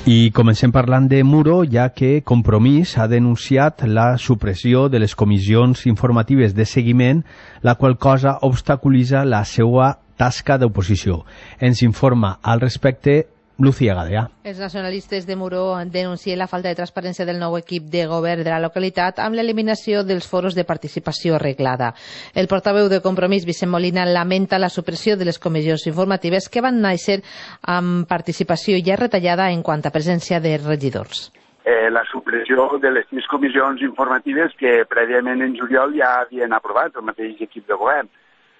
I comencem parlant de Muro, ja que Compromís ha denunciat la supressió de les comissions informatives de seguiment, la qual cosa obstaculitza la seva tasca d'oposició. Ens informa al respecte Lucía Gadea. Els nacionalistes de Muro denuncien la falta de transparència del nou equip de govern de la localitat amb l'eliminació dels foros de participació reglada. El portaveu de Compromís, Vicent Molina, lamenta la supressió de les comissions informatives que van néixer amb participació ja retallada en quant a presència de regidors. La supressió de les 3 comissions informatives que prèviament en juliol ja havien aprovat el mateix equip de govern.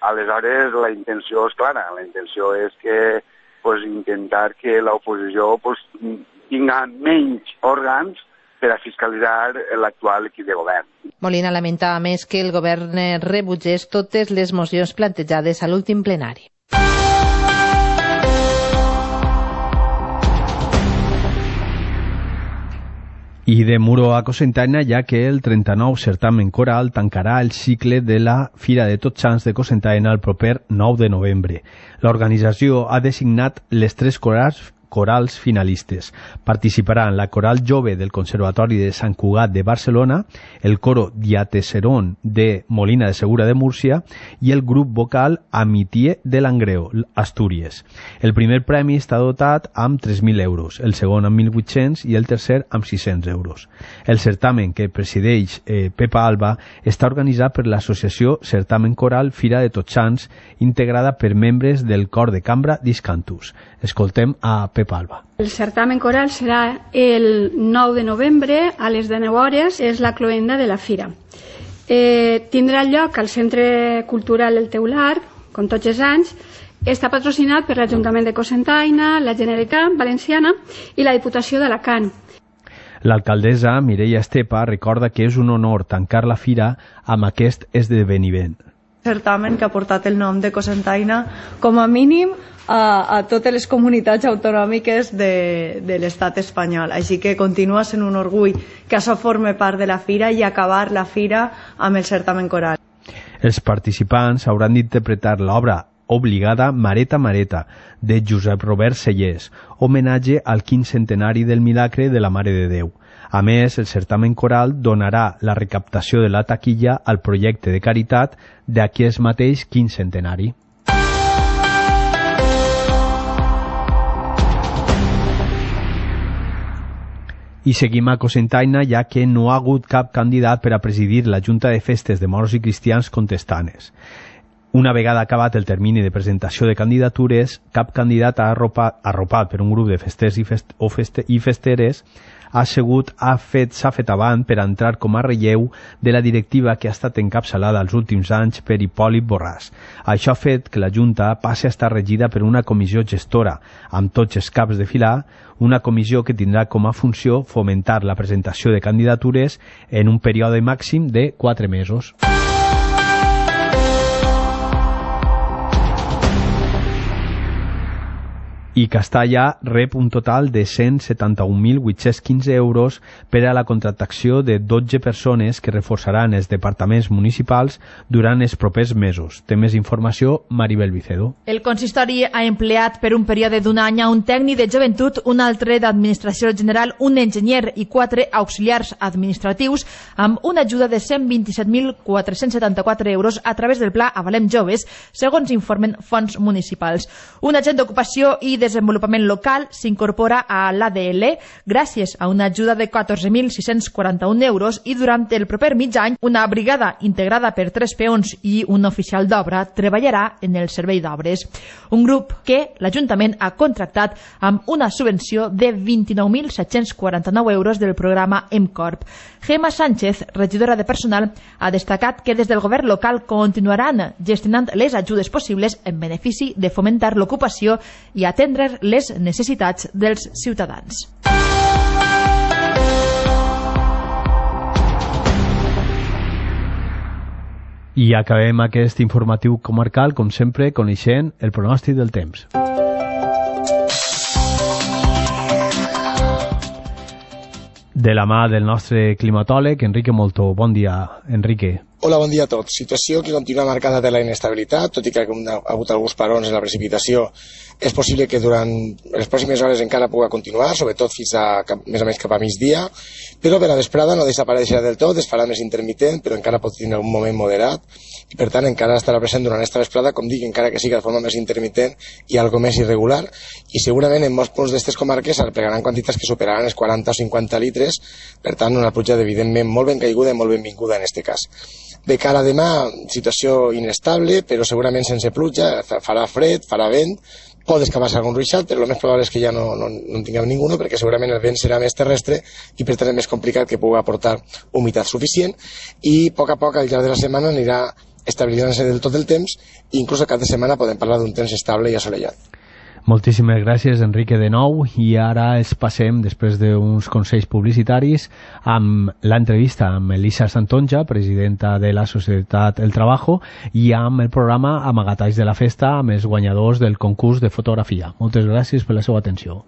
Aleshores, la intenció és clara. La intenció és que intentar que l'oposició tinga menys òrgans per a fiscalitzar l'actual equip de govern. Molina lamenta a més que el govern rebutgés totes les mocions plantejades a l'últim plenari. I de Muro a Cocentaina, ja que el 39 certamen coral tancarà el cicle de la Fira de Tots Sants de Cocentaina el proper 9 de novembre. L'organització ha designat les 3 corals finalistes. Participaran la Coral Jove del Conservatori de Sant Cugat de Barcelona, el Coro Diateseron de Molina de Segura de Múrcia i el grup vocal Amitié de Langreo, Astúries. El primer premi està dotat amb 3.000 euros, el segon amb 1.800 i el tercer amb 600 euros. El certamen que presideix Pepa Alba està organitzat per l'associació Certamen Coral Fira de Tots Sants, integrada per membres del Cor de Cambra d'Iscantus. Escoltem a Pepa Alba. El certamen coral serà el 9 de novembre a les 19 hores, és la cloenda de la fira. Tindrà lloc al Centre Cultural El Teular, com tots els anys. Està patrocinat per l'Ajuntament de Cocentaina, la Generalitat Valenciana i la Diputació d'Alacant. L'alcaldessa Mireia Estepa recorda que és un honor tancar la fira amb aquest esdeveniment. Certamen que ha portat el nom de Cocentaina com a mínim a totes les comunitats autonòmiques de l'estat espanyol. Així que continua sent un orgull que això forme part de la fira i acabar la fira amb el certamen coral. Els participants hauran d'interpretar l'obra obligada Mareta Mareta de Josep Robert Sellers, homenatge al 15 centenari del milagre de la Mare de Déu. A més, el certamen coral donarà la recaptació de la taquilla al projecte de caritat d'aquest mateix 15 centenari. I seguim a Cocentaina, ja que no ha hagut cap candidat per a presidir la Junta de Festes de Moros i Cristians contestanes. Una vegada acabat el termini de presentació de candidatures, cap candidat arropat per un grup de festers i festeres s'ha fet avant per entrar com a relleu de la directiva que ha estat encapçalada els últims anys per Hipòlit Borràs. Això ha fet que la Junta passi a estar regida per una comissió gestora, amb tots els caps de filar, una comissió que tindrà com a funció fomentar la presentació de candidatures en un període màxim de 4 mesos. I Castalla rep un total de 171.815 euros per a la contractació de 12 persones que reforçaran els departaments municipals durant els propers mesos. Té més informació Maribel Vicedo. El consistori ha empleat per un període d'un any a un tècnic de joventut, un altre d'administració general, un enginyer i 4 auxiliars administratius amb una ajuda de 127.474 euros a través del Pla Avalem Joves, segons informen fonts municipals. Un agent d'ocupació i desenvolupament local s'incorpora a l'ADL gràcies a una ajuda de 14.641 euros i durant el proper mig any una brigada integrada per 3 peons i un oficial d'obra treballarà en el servei d'obres. Un grup que l'Ajuntament ha contractat amb una subvenció de 29.749 euros del programa EMCORP. Gemma Sánchez, regidora de personal, ha destacat que des del govern local continuaran gestionant les ajudes possibles en benefici de fomentar l'ocupació i atendre les necessitats dels ciutadans. I acabem aquest informatiu comarcal, com sempre, coneixent el pronòstic del temps. De la mà del nostre climatòleg, Enrique Molto. Bon dia, Enrique. Hola, bon dia a tots. Situació que continua marcada de la inestabilitat, tot i que ha hagut alguns parons en la precipitació. És possible que durant les pròximes hores encara pugui continuar, sobretot fins a més o menys cap a migdia, però per la vesprada no desapareixerà del tot, es farà més intermitent, però encara pot tenir un moment moderat, i per tant encara estarà present durant esta vesprada, com dic, encara que sigui de forma més intermitent i algo més irregular, i segurament en molts punts d'aquestes comarques arreplegaran quantitats que superaran els 40 o 50 litres, per tant una pluja evidentment molt ben caiguda i molt benvinguda en aquest cas. De cara a demà, situació inestable, però segurament sense pluja, farà fred, farà vent, pot escapar-se algun ruixat, però el més probable és que ja no en tinguem ningú, perquè segurament el vent serà més terrestre i per tant és més complicat que pugui aportar humitat suficient, i a poc al llarg de la setmana anirà estabilitzant-se del tot el temps, i inclús a cap de setmana podem parlar d'un temps estable i assolellat. Moltíssimes gràcies, Enrique, de nou, i ara es passem, després d'uns consells publicitaris, amb l'entrevista amb Elisa Santonja, presidenta de la Societat El Trabajo, i amb el programa Amagatalls de la Festa, amb els guanyadors del concurs de fotografia. Moltes gràcies per la seva atenció.